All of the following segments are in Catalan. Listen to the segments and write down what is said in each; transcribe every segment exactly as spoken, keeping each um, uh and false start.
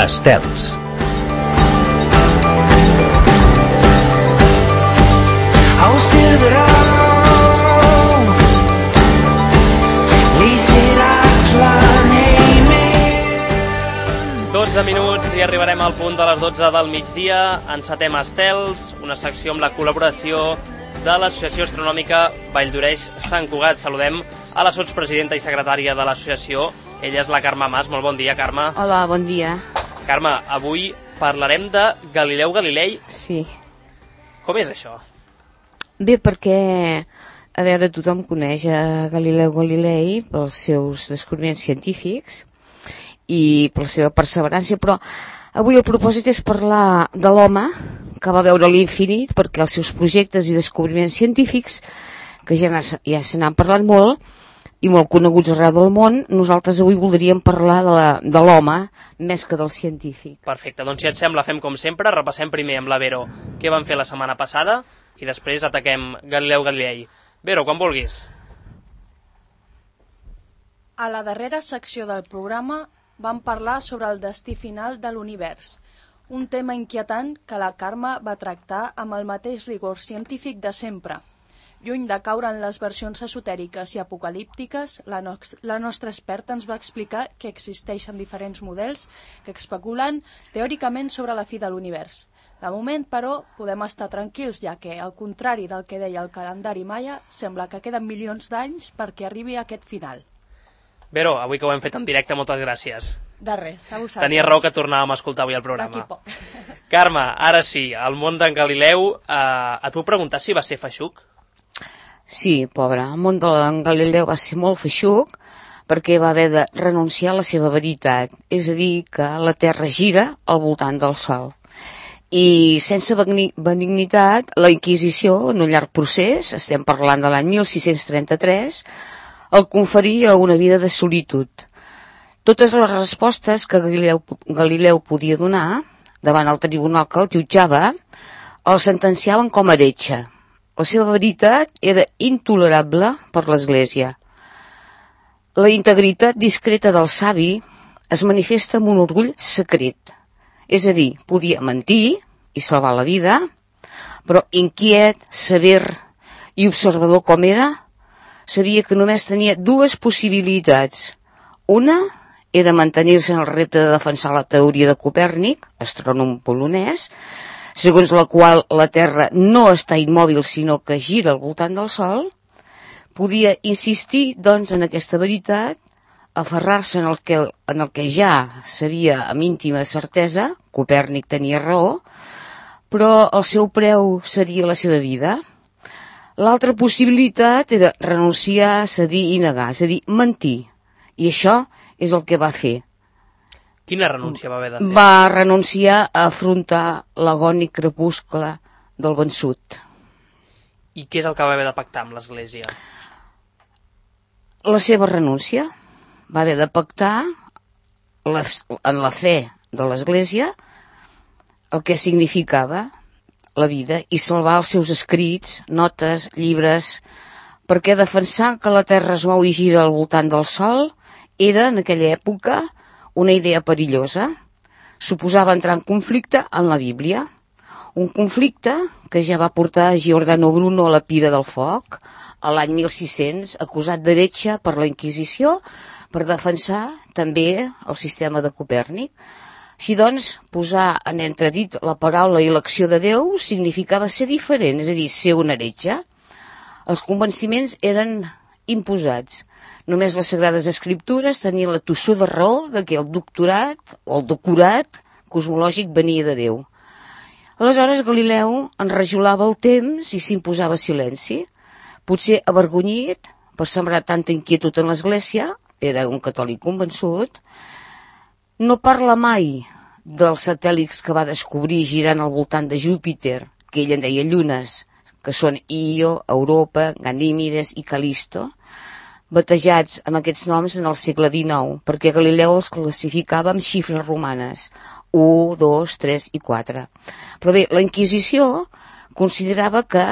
Estels. dotze minuts i arribarem al punt de les dotze del migdia. Encetem Estels, una secció amb la col·laboració de l'Associació Astronòmica Valldoreix Sant Cugat. Saludem a la sotspresidenta i secretària de l'associació. Ella és la Carme Mas. Molt bon dia, Carme. Hola, bon dia. Carme, avui parlarem de Galileu Galilei. Sí. Com és això? Bé, perquè, a veure, tothom coneix a Galileu Galilei pels seus descobriments científics i per la seva perseverança, però avui el propòsit és parlar de l'home que va veure l'infinit, perquè els seus projectes i descobriments científics, que ja, ja se n'han parlat molt i molt coneguts arreu del món, nosaltres avui voldríem parlar de l'home més que del científic. Perfecte, doncs si et sembla fem com sempre, repassem primer amb la Vero què van fer la setmana passada i després ataquem Galileu Galilei. Vero, quan vulguis. A la darrera secció del programa vam parlar sobre el destí final de l'univers, un tema inquietant que la Carme va tractar amb el mateix rigor científic de sempre. Lluny de caure en les versions esotèriques i apocalíptiques, la, no la nostra experta ens va explicar que existeixen diferents models que especulen teòricament sobre la fi de l'univers. De moment, però, podem estar tranquils, ja que, al contrari del que deia el calendari maia, sembla que queden milions d'anys perquè arribi a aquest final. Vero, avui que ho hem fet en directe, moltes gràcies. De res, a vosaltres. Tenia raó que tornàvem a escoltar avui el programa. D'aquí poc. Carme, ara sí, el món d'en Galileu, eh, et puc preguntar si va ser feixuc? Sí, pobre, el món d'en Galileu va ser molt feixuc perquè va haver de renunciar a la seva veritat, és a dir, que la Terra gira al voltant del Sol. I sense benignitat, la Inquisició, en un llarg procés, estem parlant de l'any mil sis-cents trenta-tres, el conferia una vida de solitud. Totes les respostes que Galileu, Galileu podia donar davant el tribunal que el jutjava el sentenciaven com a heretge. La seva veritat era intolerable per l'Església. La integritat discreta del savi es manifesta amb un orgull secret. És a dir, podia mentir i salvar la vida, però inquiet, sever i observador com era, sabia que només tenia dues possibilitats. Una era mantenir-se en el repte de defensar la teoria de Copèrnic, astrònom polonès, segons la qual la Terra no està immòbil sinó que gira al voltant del Sol. Podia insistir, doncs, en aquesta veritat, aferrar-se en, el que, en el que ja sabia amb íntima certesa, Copèrnic tenia raó, però el seu preu seria la seva vida. L'altra possibilitat era renunciar, cedir i negar, és a dir, mentir. I això és el que va fer. Quina renúncia va haver de fer? Va renunciar a afrontar l'agònic crepuscle del vençut. I què és el que va haver de pactar amb l'Església? La seva renúncia. Va haver de pactar la, en la fe de l'Església el que significava la vida i salvar els seus escrits, notes, llibres, perquè defensar que la Terra es mou i gira al voltant del Sol era, en aquella època, una idea perillosa. Suposava entrar en conflicte amb la Bíblia. Un conflicte que ja va portar Giordano Bruno a la pira del foc a l'any mil sis-cents, acusat d'heretge per la Inquisició per defensar també el sistema de Copèrnic. Així doncs, posar en entredit la paraula i l'acció de Déu significava ser diferent, és a dir, ser un heretge. Els convenciments eren imposats. Només les Sagrades Escriptures tenien la tossuda raó de que el doctorat o el decorat cosmològic venia de Déu. Aleshores Galileu enrajolava el temps i s'imposava silenci. Potser avergonyit per sembrar tanta inquietud en l'Església, era un catòlic convençut. No parla mai dels satèl·lits que va descobrir girant al voltant de Júpiter, que ell en deia llunes, que són Io, Europa, Ganímedes i Calisto, batejats amb aquests noms en el segle dinou, perquè Galileu els classificava amb xifres romanes, u, dos, tres i quatre. Però bé, la Inquisició considerava que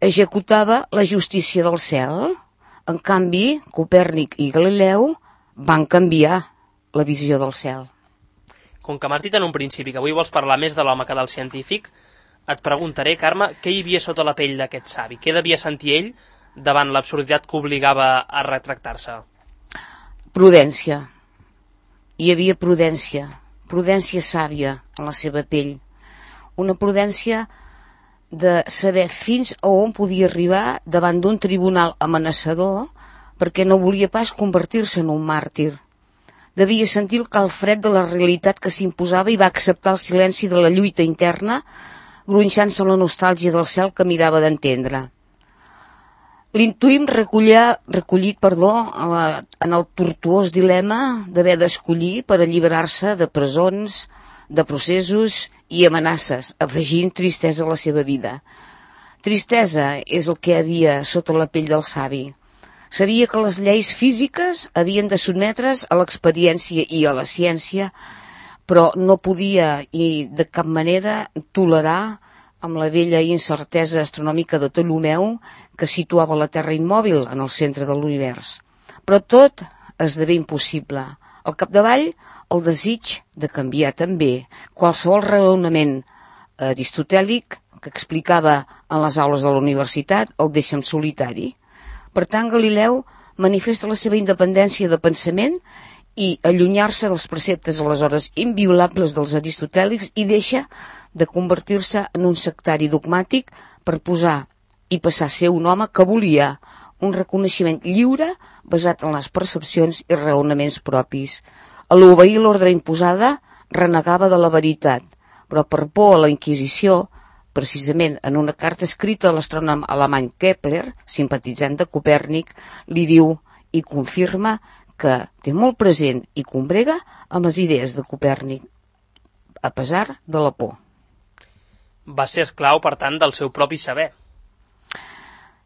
executava la justícia del cel. En canvi, Copèrnic i Galileu van canviar la visió del cel. Com que m'has dit en un principi que avui vols parlar més de l'home que del científic, et preguntaré, Carme, què hi havia sota la pell d'aquest savi? Què devia sentir ell davant l'absurditat que obligava a retractar-se? Prudència. Hi havia prudència. Prudència sàvia en la seva pell. Una prudència de saber fins a on podia arribar davant d'un tribunal amenaçador perquè no volia pas convertir-se en un màrtir. Devia sentir el calfred de la realitat que s'imposava i va acceptar el silenci de la lluita interna, gronxant-se la nostàlgia del cel que mirava d'entendre. L'intuïm recollia, recollit perdó, en el tortuós dilema d'haver d'escollir per alliberar-se de presons, de processos i amenaces, afegint tristesa a la seva vida. Tristesa és el que havia sota la pell del savi. Sabia que les lleis físiques havien de sotmetre's a l'experiència i a la ciència, però no podia i de cap manera tolerar amb la vella incertesa astronòmica de Ptolemeu que situava la Terra immòbil en el centre de l'univers. Però tot esdevé impossible. Al capdavall, el desig de canviar també qualsevol raonament aristotèlic que explicava en les aules de la universitat el deixa en solitari. Per tant, Galileu manifesta la seva independència de pensament i allunyar-se dels preceptes aleshores inviolables dels aristotèlics i deixa de convertir-se en un sectari dogmàtic per posar i passar a ser un home que volia un reconeixement lliure basat en les percepcions i raonaments propis. A l'obeir l'ordre imposada renegava de la veritat, però per por a la Inquisició, precisament en una carta escrita a l'astrònom alemany Kepler, simpatitzant de Copèrnic, li diu i confirma que té molt present i combrega amb les idees de Copèrnic, a pesar de la por. Va ser esclau, per tant, del seu propi saber.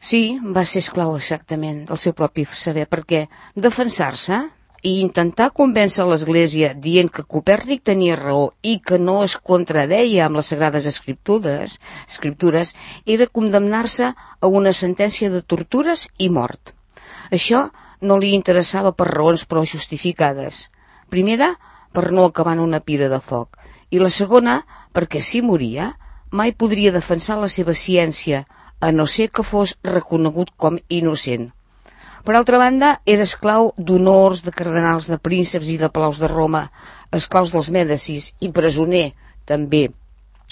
Sí, va ser esclau exactament del seu propi saber, perquè defensar-se i intentar convèncer l'Església dient que Copèrnic tenia raó i que no es contradeia amb les sagrades escriptures, escriptures era condemnar-se a una sentència de tortures i mort. Això no li interessava per raons prou justificades. Primera, per no acabar en una pira de foc, i la segona, perquè si moria, mai podria defensar la seva ciència, a no ser que fos reconegut com innocent. Per altra banda, era esclau d'honors, de cardenals, de prínceps i de palaus de Roma, esclaus dels Mèdicis i presoner, també,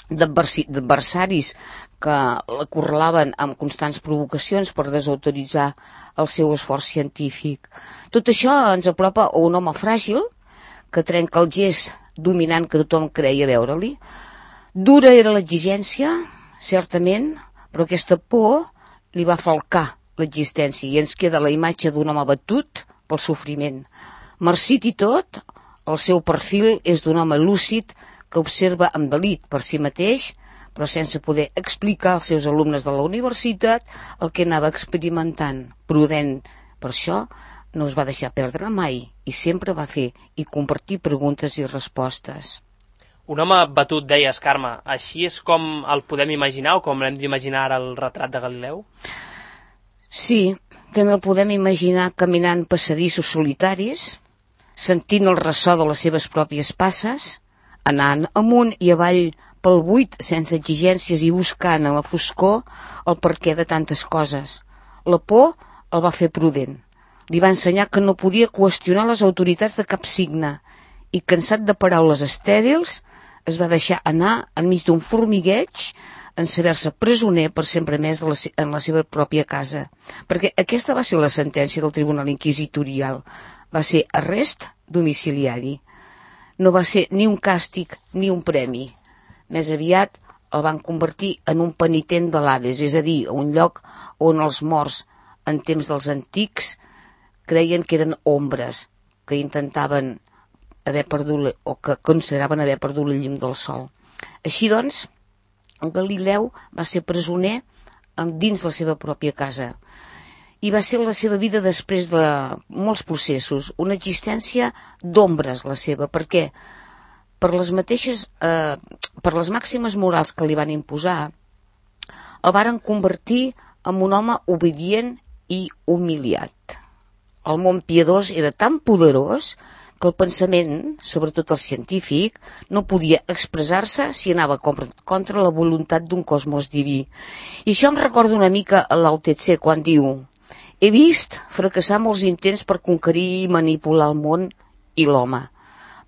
d'adversaris que l'acorralaven amb constants provocacions per desautoritzar el seu esforç científic. Tot això ens apropa a un home fràgil que trenca el gest dominant que tothom creia veure-li. Dura era l'exigència, certament, però aquesta por li va falcar l'existència i ens queda la imatge d'un home batut pel sofriment. Marcit i tot, el seu perfil és d'un home lúcid que observa amb delit per si mateix, però sense poder explicar als seus alumnes de la universitat el que anava experimentant. Prudent, per això no es va deixar perdre mai i sempre va fer i compartir preguntes i respostes. Un home batut, deies, Carme. Així és com el podem imaginar o com l'hem d'imaginar ara el retrat de Galileu? Sí, també el podem imaginar caminant passadissos solitaris, sentint el ressò de les seves pròpies passes, anant amunt i avall pel buit sense exigències i buscant en la foscor el perquè de tantes coses. La por el va fer prudent. Li va ensenyar que no podia qüestionar les autoritats de cap signe i, cansat de paraules estèrils, es va deixar anar enmig d'un formigueig en saber-se presoner per sempre més de la, en la seva pròpia casa. Perquè aquesta va ser la sentència del Tribunal Inquisitorial. Va ser arrest domiciliari. No va ser ni un càstig ni un premi. Més aviat el van convertir en un penitent de l'Hades, és a dir, un lloc on els morts, en temps dels antics, creien que eren ombres, que intentaven haver perdut, o que consideraven haver perdut la llum del sol. Així doncs, Galileu va ser presoner dins la seva pròpia casa. I va ser la seva vida després de molts processos, una existència d'ombres la seva, perquè per les mateixes, eh, per les màximes morals que li van imposar, el varen convertir en un home obedient i humiliat. El món piadós era tan poderós que el pensament, sobretot el científic, no podia expressar-se si anava contra la voluntat d'un cosmos diví. I això em recorda una mica a Lao Tse quan diu: he vist fracassar molts intents per conquerir i manipular el món i l'home,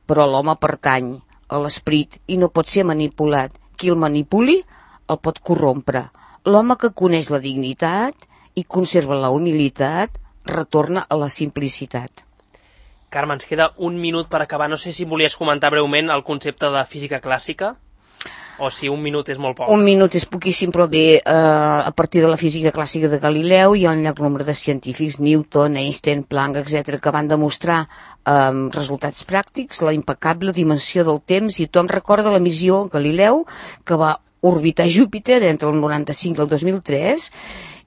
però l'home pertany a l'esperit i no pot ser manipulat. Qui el manipuli el pot corrompre. L'home que coneix la dignitat i conserva la humilitat retorna a la simplicitat. Carme, ens queda un minut per acabar. No sé si volies comentar breument el concepte de física clàssica, o si un minut és molt poc. Un minut és poquíssim, però bé, eh, a partir de la física clàssica de Galileu hi ha un llarg nombre de científics, Newton, Einstein, Planck, etcètera, que van demostrar eh, resultats pràctics, la impecable dimensió del temps, i tothom recorda la missió Galileu, que va orbitar Júpiter entre el noranta-cinc i el dos mil tres,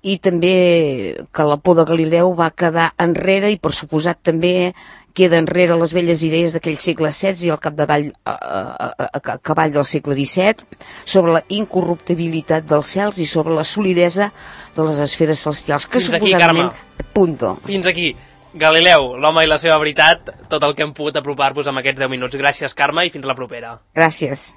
i també que la por de Galileu va quedar enrere, i per suposat també queda enrere les velles idees d'aquell segle setze i al capdavall a, a, a, a cavall del segle disset sobre la incorruptibilitat dels cels i sobre la solidesa de les esferes celestials, que Fins aquí, suposadament... Carme. Punto. Fins aquí. Galileu, l'home i la seva veritat, tot el que hem pogut apropar-vos amb aquests deu minuts. Gràcies, Carme, i fins la propera. Gràcies.